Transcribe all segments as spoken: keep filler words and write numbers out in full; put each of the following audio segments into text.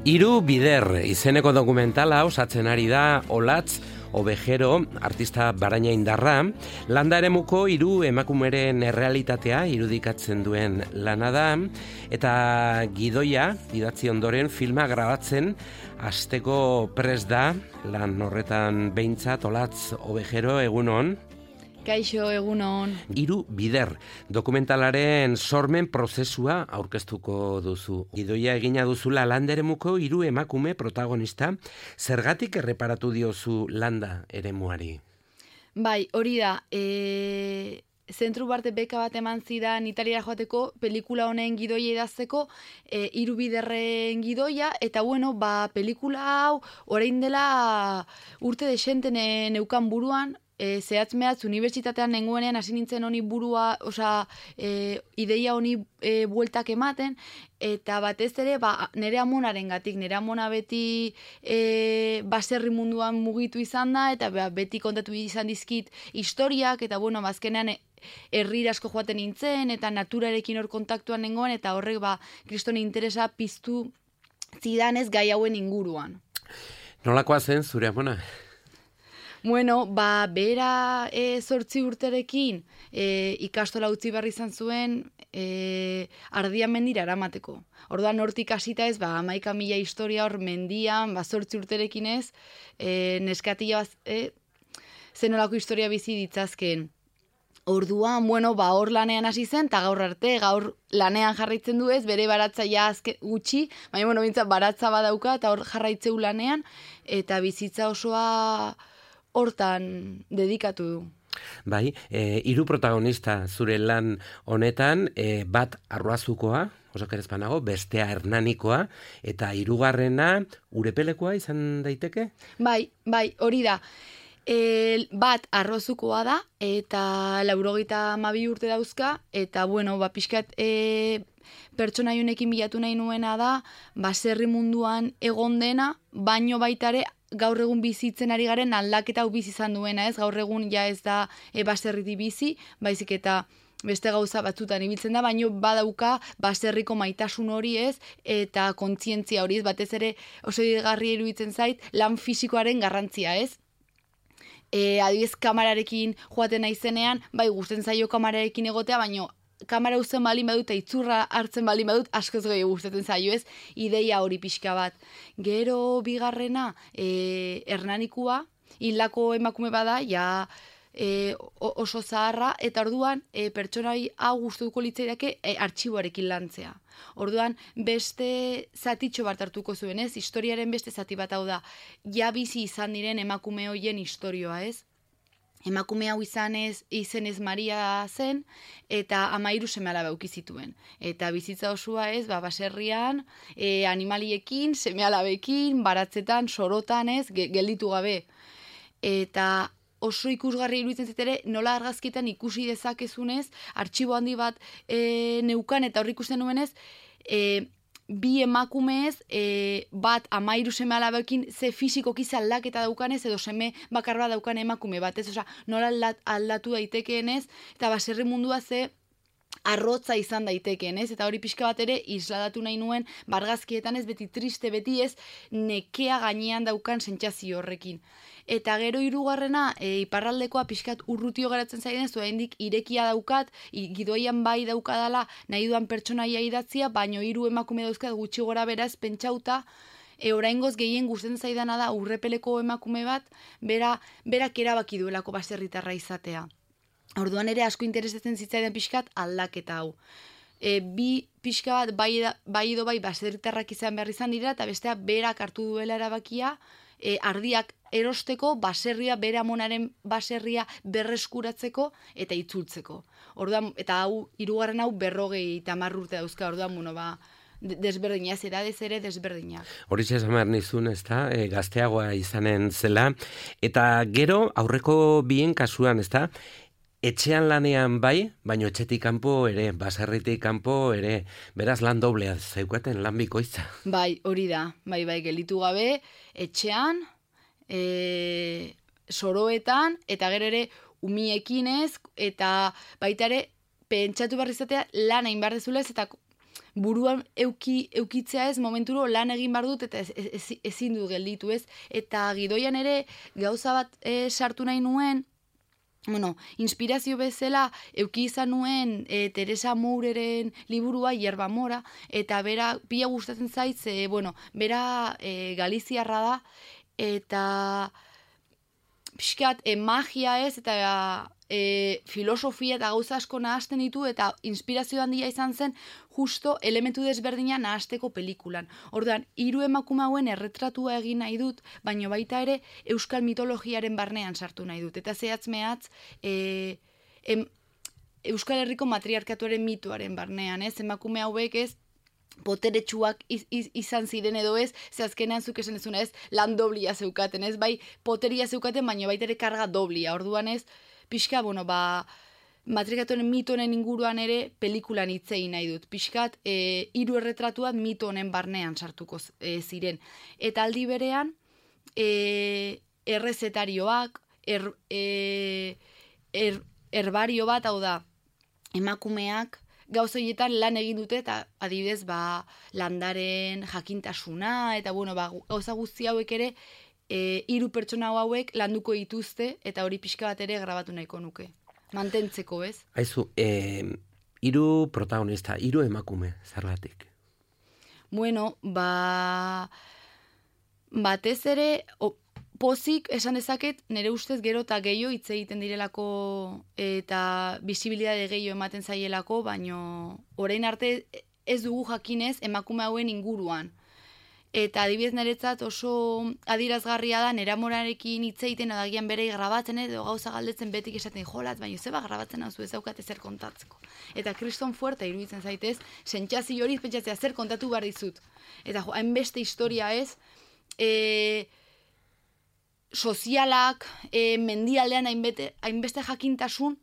Hiru bider izeneko dokumentala osatzen ari da Olatz Ovejero, artista Baraina Indarra, landa eremuko hiru emakumeren errealitatea irudikatzen duen lana da, eta gidoia idatzi ondoren filma grabatzen hasteko prest da, lan horretan behintzat. Olatz Ovejero, egunon. Kaixo, egunon. Hiru bider dokumentalaren sormen prozesua aurkeztuko duzu. Gidoia egina duzula landa eremuko hiru emakume protagonista, zergatik erreparatu diozu landa eremuari? Bai, hori da, e... zentru barte beka bat eman zidan Italiara joateko pelikula honen gidoia idazteko, e, hiru biderren gidoia, eta bueno, ba, pelikula hau orain dela urte desenten neukan buruan, E, zehatz mehatz unibertsitatean nengoenean hasi nintzen honi burua, osea, e, ideia honi e, bueltak ematen, eta batez ere, ba, nire amonaren gatik, nire amona beti e, baserri munduan mugitu izan da, eta ba, beti kontatu izan dizkit historiak, eta bueno, bazkenean e, herrira asko joaten nintzen, eta naturarekin hor kontaktuan nengoen, eta horrek, ba, kriston interesa piztu zidanez gai hauen inguruan. Nolakoa zen zure amona? Bueno, ba, bera e, zortzi urterekin e, ikastola utzi behar izan zuen e, Ardian mendira eramateko. Orduan hortik hasita ez, ba, hamaika mila historia hor mendian, ba, zortzi urterekin ez, e, neskatila baz, e, zenolako historia bizi ditzazken. Orduan, bueno, ba, hor lanean hasi zen, eta gaur arte, gaur lanean jarraitzen du ez, bere baratza ja azke, gutxi, baina, bueno, bintzat, baratza badauka, eta hor jarraitzeu lanean, eta bizitza osoa hortan dedikatu du. Bai, e, hiru protagonista zure lan honetan, e, bat arroazukoa, osakerezpanago, bestea hernanikoa, eta hirugarrena urepelekoa izan daiteke? Bai, bai, hori da. E, bat arrozukoa da, eta laurogeita hamabi urte dauzka, eta bueno, ba, pixkat e, pertsona honekin bilatu nahi nuena da, baserri munduan egon dena, baino baitare gaur egun bizitzen ari garen aldaketa hau bizi izan duena, ez? Gaur egun ja ez da e, baserriti bizi, baizik eta beste gauza batzutan ibiltzen da, baino badauka baserriko maitasun hori, ez? Eta kontzientzia hori, ez? Batez ere oso digarria iruditzen zait lan fisikoaren garrantzia, ez? E, adibidez kamararekin joaten naizenean, bai gusten zaio kamararekin egotea, baino kamara uzten balin badut, eta itzurra hartzen balin badut, askoz gehiago gustatzen zaio, ez? Ideia hori pixka bat. Gero bigarrena, e, hernanikua, hildako emakume bada, ja e, oso zaharra, eta orduan e, pertsonai hau gustuko litzaidake e, artxiboarekin lantzea. Orduan, beste zatitxo bat hartuko zuen, ez? Historiaren beste zati bat hau da, ja bizi izan diren emakume hoien historioa, ez? Emakume hau izanez, izenez Maria zen, eta amairu seme-alaba eduki zituen. Eta bizitza osoa ez, ba, baserrian, e, animaliekin, seme-alabekin, baratzetan, sorotan ez, gelditu gabe. Eta oso ikusgarri iruditzen zitere, nola argazkietan ikusi dezakezunez, artxibo handi bat e, neukan, eta horri ikusten nuenez, e, bi emakumez, e, bat amairu seme alabekin ze fisikoki ze aldaketa daukanez, edo seme bakar bat daukan emakume bat, ez? Osa, nola aldatu daitekeenez, eta baserri mundua ze arrotza izan daitekeen, ez? Eta hori pixka bat ere isladatu nahi nuen, bargazkietan ez, beti triste, beti ez, nekea gainean daukan sentsazio horrekin. Eta gero hirugarrena, e, iparraldekoa pixkat urrutio geratzen zaiden, oraindik irekia daukat, gidoian bai daukadala nahi duan pertsonaia idatzia, baino hiru emakume dauzkat gutxi gora beraz pentsauta, e, oraingoz gehien gustatzen zaidana da urrepeleko emakume bat, bera, berak erabaki duelako baserritarra izatea. Orduan ere asko interesatzen zitzaidan pixkat aldaketa hau. E, bi pixka bat bai, bai edo bai baserritarrak izan behar izan dira, eta bestea berak hartu duela erabakia, e, ardiak erosteko, baserria, bere amonaren baserria berreskuratzeko eta itzultzeko. Orduan, eta hau, hirugarren hau berrogei eta hamar urte dauzka, orduan, bueno, ba, desberdina, zeradez ere desberdina. Horitxe esan behar nizun, ez da, e, gazteagoa izanen zela, eta gero aurreko bien kasuan, ez da, etxean lanean bai, baino etxetik kanpo ere, baserritik kanpo ere, beraz lan doblea zeukaten, lan bikoitza. Bai, hori da, bai, bai, gelitu gabe, etxean, e, soroetan, eta gero ere umiekin ez, eta baita ere, pentsatu behar izatea lan hain behar dezula ez, eta buruan euki, eukitzea ez, momenturo lan egin behar dut, eta ez, ez, ezin dut gelditu ez. Eta gidoian ere gauza bat e, sartu nahi nuen, bueno, inspirazio bezala euki izan nuen e, Teresa Moureren liburua, Hierba Mora, eta bera, pila gustatzen zait, e, bueno, bera e, galiziarra da, eta pixkat e, magia ez, eta e, filosofia eta gauza asko nahasten ditu, eta inspirazio handia izan zen justo elementu desberdina nahasteko pelikulan. Orduan, hiru emakume hauen erretratua egin nahi dut, baino baita ere euskal mitologiaren barnean sartu nahi dut. Eta zehatz mehatz, e, em, Euskal Herriko matriarkatuaren mitoaren barnean, ez? Emakume hauek ez, poteretsuak iz, iz, izan ziren edo ez, ze azkenean zuk esan ezuna ez, lan doblia zeukaten, ez? Bai, poteria zeukaten, baino baita ere karga doblia. Orduan ez, pixka, bueno, ba, matriarkatuaren mito honen inguruan ere pelikulan hitzei nahi dut. Pixkat, e, hiru erretratuak mito honen barnean sartuko e, ziren. Eta aldi berean, e, errezetarioak, er, e, er, herbario bat, hau da, emakumeak, gauzoietan lan egin dute, eta adibidez, ba, landaren jakintasuna, eta bueno, ba, gauza guzti hauek ere, e, hiru pertsona hauek landuko dituzte, eta hori pixka bat ere grabatu nahiko nuke. Mantentzeko, ez? Aizu, eh, hiru protagonista, hiru emakume, zergatik? Bueno, ba, batez ere, o, pozik esan dezaket, nire ustez gero eta gehiago hitz egiten direlako eta bisibilitate gehiago ematen zaielako, baino orain arte ez dugu jakinez emakume hauen inguruan. Eta adibidez niretzat oso adirazgarria da, nera morarekin hitz egiten adagian berei grabatzen edo gauza galdetzen betik esaten jolat, baina zeba grabatzen hau zu ez daukate zer kontatzeko. Eta kriston fuerta iruditzen zaitez, sentsazio hori pentsatzea zer kontatu behar dizut. Eta jo, hainbeste historia ez, e, sozialak, e, mendialdean hainbeste, hainbeste jakintasun,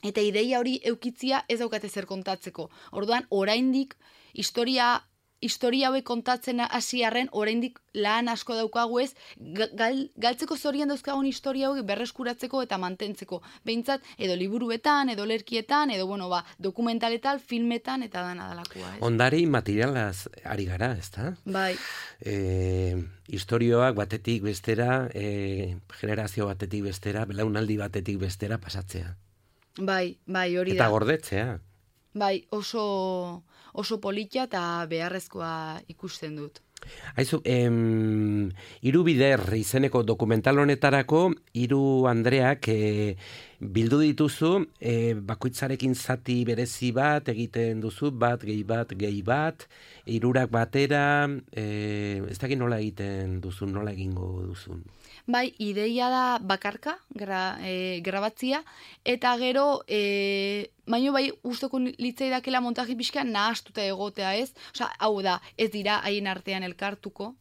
eta ideia hori eukitzia ez daukate zer kontatzeko. Orduan, oraindik historia historia hauek kontatzen hasiarren oraindik lan asko daukagu ez, gal, galtzeko zorian dauzkagun historia hauek berreskuratzeko eta mantentzeko. Behintzat, edo liburuetan, edo lerkietan, edo bueno, ba, dokumentaletan, filmetan, eta dana dalakoa. Ez? Ondari materialaz ari gara, ezta? Bai. E, historioak batetik bestera, e, generazio batetik bestera, belaunaldi batetik bestera pasatzea. Bai, bai, hori da. Eta gordetzea. Bai, oso, oso politia eta beharrezkoa ikusten dut. Aizu, em, hiru bider izeneko dokumental honetarako, hiru Andreak e, bildu dituzu, e, bakoitzarekin zati berezi bat egiten duzu, bat, gehi bat, gehi bat, hirurak batera, e, ez dakit nola egiten duzun, nola egingo duzun. Bai, ideia da bakarka, gra, e, grabatzia, eta gero, e, baino bai usteko litzaidakela montaji pixka nahastuta egotea ez, osea, hau da, ez dira haien artean elkartuko,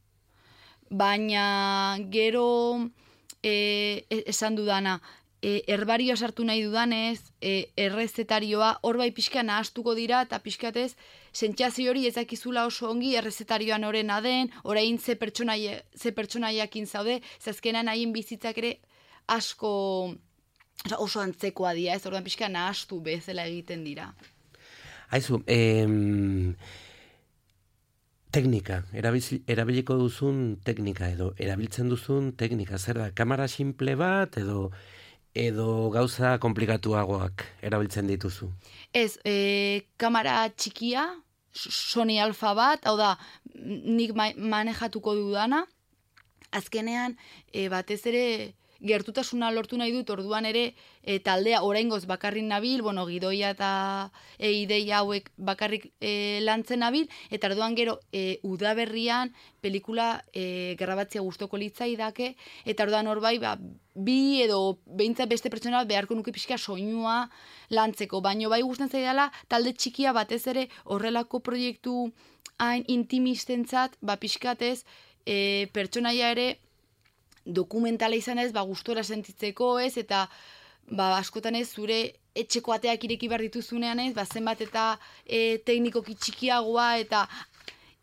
baina gero e, esan dudana, e, herbarioa sartu nahi dudanez, e, errezetarioa, hor bai pixka nahastuko dira, eta pixkatez, sentsazio hori ezakizula oso ongi errezetarioan orena den, orain ze pertsonaia, ze pertsonaiakin zaude, zazkenan haien bizitzak ere asko oso antzekoa dira, ez orduan pixka nahastu bezala egiten dira. Aizu, em, teknika, erabiliko duzun teknika edo erabiltzen duzun teknika, zer da, kamera simple bat edo edo gauza komplikatuagoak erabiltzen dituzu? Ez, e, kamera txikia, Sony Alpha bat, hau da, nik manejatuko dudana, azkenean e, batez ere gertutasuna lortu nahi dut, orduan ere e, taldea oraingoz bakarrik nabil, bueno, gidoia eta e, ideia hauek bakarrik e, lantzen nabil, eta orduan gero e, udaberrian pelikula e, grabatzea gustoko litzaidake, eta orduan hor bai, ba, bi edo behintzat beste pertsona beharko nuke pixka soinua lantzeko, baino bai gusten zaidala talde txikia batez ere horrelako proiektu hain intimistentzat, ba pixkatez e, pertsonaia ere dokumentala izan ez, ba gustora sentitzeko ez, eta ba askotan ez zure etxeko ateak ireki behar dituzunean ez, ba zenbat eta e, teknikoki txikiagoa eta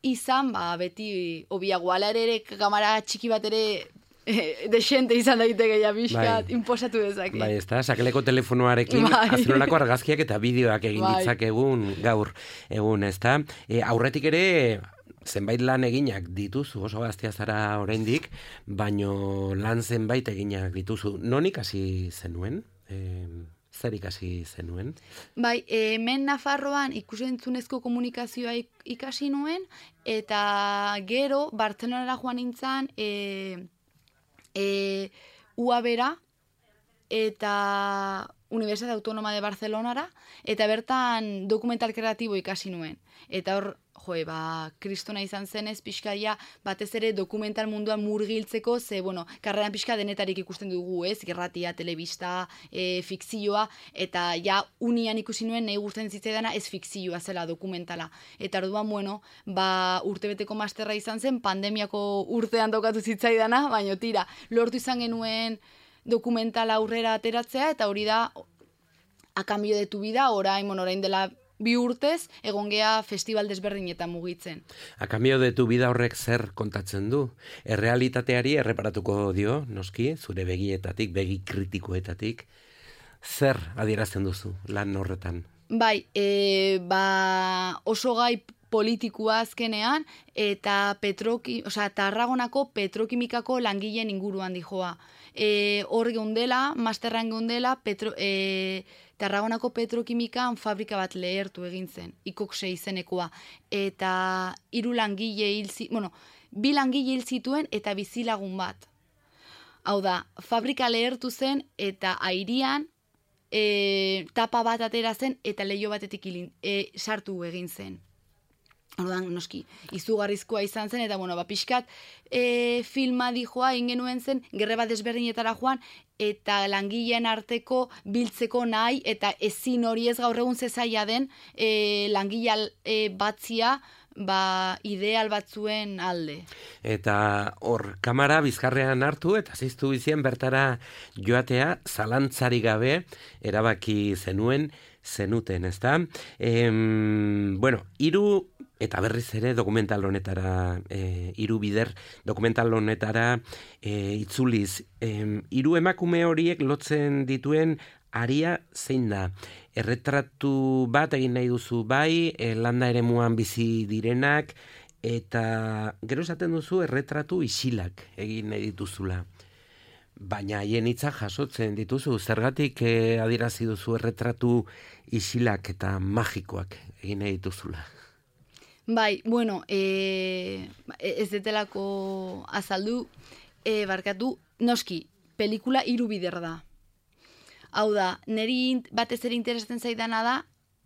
izan, ba beti obiagoa ere ere kamera txiki bat ere e, desente izan daiteke ja pixkat, bai. Inposatu dezake. Bai, ez da, sakeleko telefonoarekin bai. Azerolako argazkiak eta bideoak egin bai. Ditzak egun, gaur, egun, ez da. E, aurretik ere, zenbait lan eginak dituzu, oso gaztea zara oraindik, baino lan zenbait eginak dituzu. Non ikasi zenuen? E, zer ikasi zenuen? Bai, hemen Nafarroan ikusentzunezko komunikazioa ikasi nuen, eta gero, Bartzelonara joan nintzen, e, e, U A B-ra, eta Universidad Autónoma de Barcelonara, eta bertan dokumental kreatibo ikasi nuen. Eta hor, joe, ba, kristona izan zenez, pixkaia, batez ere dokumental munduan murgiltzeko, ze, bueno, karreran pixka denetarik ikusten dugu, ez, gerratia, telebista, e, fikzioa, eta ja, unian ikusi nuen, nahi gusten zitzaidana, ez fikzioa zela, dokumentala. Eta orduan, bueno, ba, urtebeteko masterra izan zen, pandemiako urtean tokatu zitzaidana, baina tira, lortu izan genuen dokumentala aurrera ateratzea, eta hori da, a cambio de tu vida, orain, bueno, orain dela bi urtez, egon gea festival desberdinetan mugitzen. A cambio de tu vida horrek zer kontatzen du? Errealitateari erreparatuko dio, noski, zure begietatik, begi kritikoetatik, zer adierazten duzu lan horretan? Bai, e, ba, oso gai politikua azkenean, eta petroki, osea, Tarragonako petrokimikako langileen inguruan dijoa. E, hor geundela, masterran geundela, petro, e, Tarragonako petrokimikan fabrika bat lehertu egin zen, ikokse izenekoa. Eta hiru langile hil zituen, bueno, bi langile hil zituen eta bizilagun bat. Hau da, fabrika lehertu zen eta airian e, tapa bat atera zen eta leiho batetik ilin, e, sartu egin zen. Orduan, noski, izugarrizkoa izan zen, eta, bueno, ba, pixkat e, filma dijoa, ingenuen zen, gerreba desberdinetara joan, eta langileen arteko biltzeko nahi, eta ezin hori ez gaur egun zezaia den, e, langile e, batzia, ba, ideal batzuen alde. Eta hor, kamara bizkarrean hartu, eta ziztu bizien bertara joatea, zalantzari gabe, erabaki zenuen, zenuten, ez da? E, bueno, hiru eta berriz ere dokumental honetara, e, hiru bider dokumental honetara e, itzuliz. E, hiru emakume horiek lotzen dituen aria zein da? Erretratu bat egin nahi duzu bai, e, landa eremuan bizi direnak, eta gero esaten duzu erretratu isilak egin nahi dituzula. Baina haien hitza jasotzen dituzu, zergatik eh, adierazi duzu erretratu isilak eta magikoak egin nahi dituzula. Bai, bueno, e, ez detelako azaldu, e, barkatu, noski, pelikula hiru bider da. Hau da, niri batez ere interesatzen zaidana da,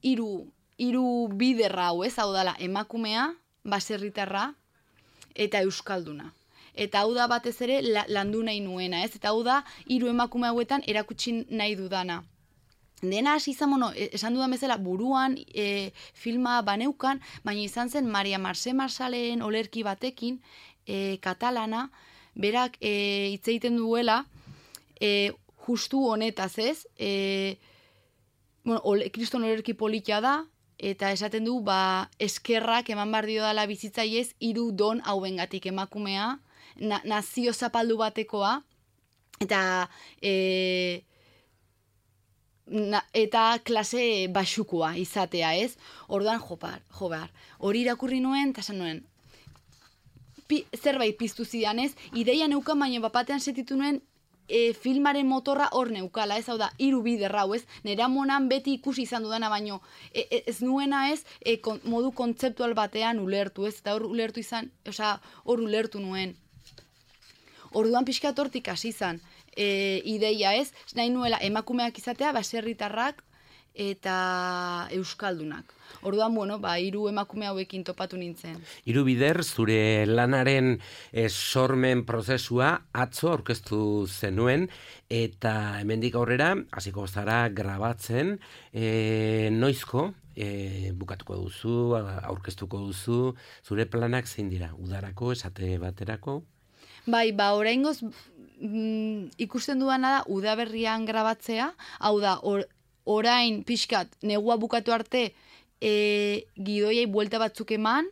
hiru hiru biderra hau, ez? Hau dala, emakumea, baserritarra eta euskalduna. Eta hau da batez ere landu nahi nuena, ez? Eta hau da, hiru emakume hauetan erakutsi nahi dudana. Dena hasi izan, bueno, esan dudan bezala, buruan e, filma baneukan, baina izan zen Maria Marce Marsaleen olerki batekin, e, katalana, berak e, hitz egiten duela, e, justu honetaz, ez? E, bueno, ole, kriston olerki politia da, eta esaten du, ba, eskerrak eman bar dio dala bizitzaiez, hiru don hauengatik emakumea, na, nazio zapaldu batekoa, eta e, na, eta klase basukoa izatea, ez? Orduan, jopar, jobar. Hori irakurri nuen, eta esan nuen, pi, zerbait piztu zidan, ez? Ideia neukan, baina bapatean setitu nuen, E, filmaren motorra hor neukala, ez, hau da, hiru bider hau, ez, nera monan beti ikusi izan dudana, baino, e, e, ez nuena ez, e, kon, modu kontzeptual batean ulertu, ez, eta hor ulertu izan, osea, hor ulertu nuen. Orduan pixkat hortik hasi izan, e, ideia, ez, nahi nuela emakumeak izatea, baserritarrak eta euskaldunak. Orduan, bueno, ba, hiru emakume hauekin topatu nintzen. Hiru bider, zure lanaren e, sormen prozesua atzo aurkeztu zenuen, eta hemendik aurrera, hasiko zara grabatzen, e, noizko, e, bukatuko duzu, aurkeztuko duzu, zure planak zein dira, udarako, esate baterako? Bai, ba, oraingoz mm, ikusten duana da, udaberrian grabatzea, hau da, or, orain pixkat, negua bukatu arte, E, gidoiai buelta batzuk eman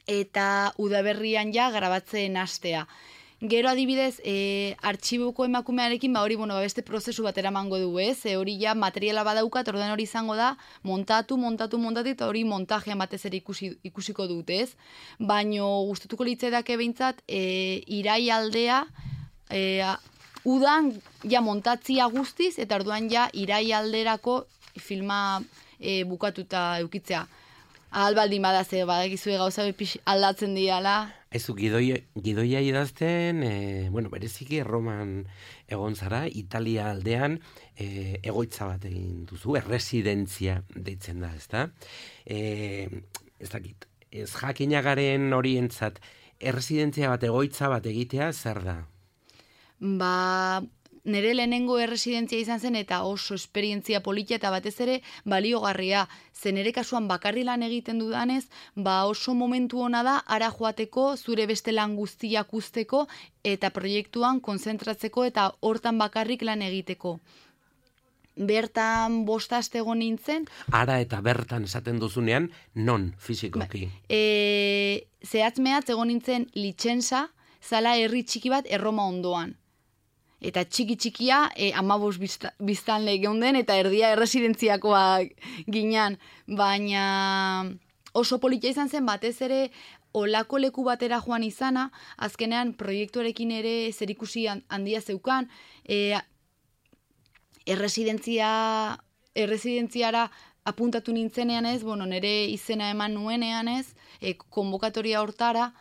eta udaberrian ja grabatzen hastea. Gero adibidez, e, artxibuko emakumearekin, ba hori, bueno, ba, beste prozesu bat eramango du, ez? E, hori ja materiala badaukat, orduan hori izango da, montatu, montatu, montatu, eta hori montajean batez ere ikusi, ikusiko dut, ez? Baino gustatuko litzaidake behintzat, e, irai aldea, e, udan ja montatzia guztiz, eta orduan ja irai alderako filma e, bukatuta eukitzea. Ahal baldin badaze, badakizue gauza bepix aldatzen diala. Aizu, gidoia, gidoia idazten, e, bueno, bereziki Erroman egon zara, Italia aldean e, egoitza bat egin duzu, erresidentzia deitzen da, ezta? E, ez dakit, ez jakinagaren horientzat, erresidentzia bat, egoitza bat egitea, zer da? Ba, nire lehenengo erresidentzia izan zen eta oso esperientzia politia eta batez ere baliogarria. Zen nire kasuan bakarri lan egiten dudanez, ba oso momentu ona da ara joateko, zure beste lan guztiak usteko eta proiektuan konzentratzeko eta hortan bakarrik lan egiteko. Bertan bost aste egon nintzen. Ara eta bertan esaten duzunean, non fizikoki? Ba, e, zehatz mehatz egon nintzen Litxensa, zala herri txiki bat Erroma ondoan. Eta txiki-txikia e, amabos biztanle geunden eta erdia erresidentziakoak ginean. Baina oso politia izan zen batez ere olako leku batera joan izana, azkenean proiektuarekin ere zerikusi handia zeukan, e, erresidentzia, erresidentziara apuntatu nintzenean ez, bueno, nire izena eman nuenean ez, e, konbokatoria hortara,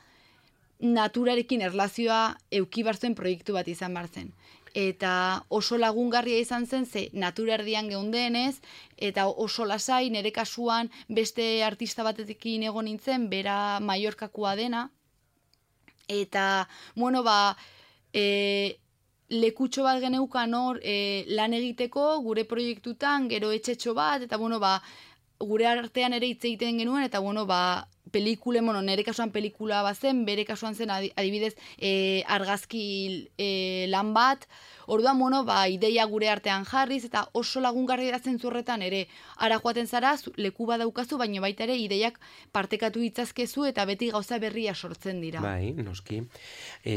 naturarekin erlazioa euki barzuen proiektu bat izan barzen. Eta oso lagungarria izan zen, ze natura erdian geundenez, eta oso lasai, nire kasuan beste artista batekin egon nintzen, bera Mallorcakoa dena, eta, bueno, ba, e, lekutxo bat geneukan hor e, lan egiteko, gure proiektutan, gero etxetxo bat, eta, bueno, ba, gure artean ere hitz egiten genuen, eta, bueno, ba, pelikule, bueno, nire kasuan pelikula bazen, bere kasuan zen adibidez e, argazki e, lan bat, orduan, bueno, ba, ideia gure artean jarriz, eta oso lagungarri da zentzurretan ere, ara joaten zara, leku bat daukazu, baina baita ere ideiak partekatu ditzazkezu, eta beti gauza berria sortzen dira. Bai, noski. E,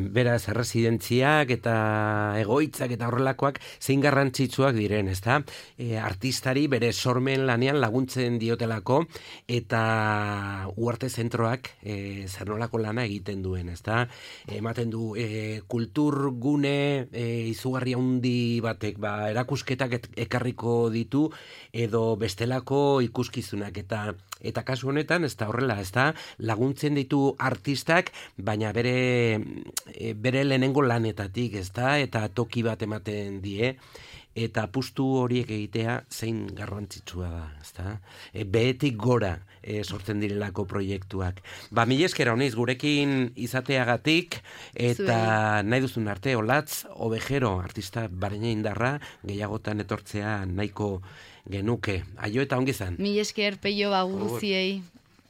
beraz, erresidentziak eta egoitzak eta horrelakoak zein garrantzitsuak diren, ezta? E, artistari bere sormen lanean laguntzen diotelako, eta Uarte zentroak e, zer nolako lana egiten duen, ezta? Ematen du e, kulturgune e, izugarri handi batek, ba, erakusketak et, ekarriko ditu edo bestelako ikuskizunak eta eta kasu honetan ez da horrela, ez da laguntzen ditu artistak, baina bere e, bere lehenengo lanetatik, ez da, eta toki bat ematen die. Eta apustu horiek egitea zein garrantzitsua da, ezta? E, behetik gora e, sortzen direlako proiektuak. Ba, mila esker honiz, gurekin izateagatik, eta Zuen. Nahi duzun arte, Olatz Ovejero, artista Barenia Indarra, gehiagotan etortzea nahiko genuke. Aio eta ongi zan. Mila esker, peio ba guziei.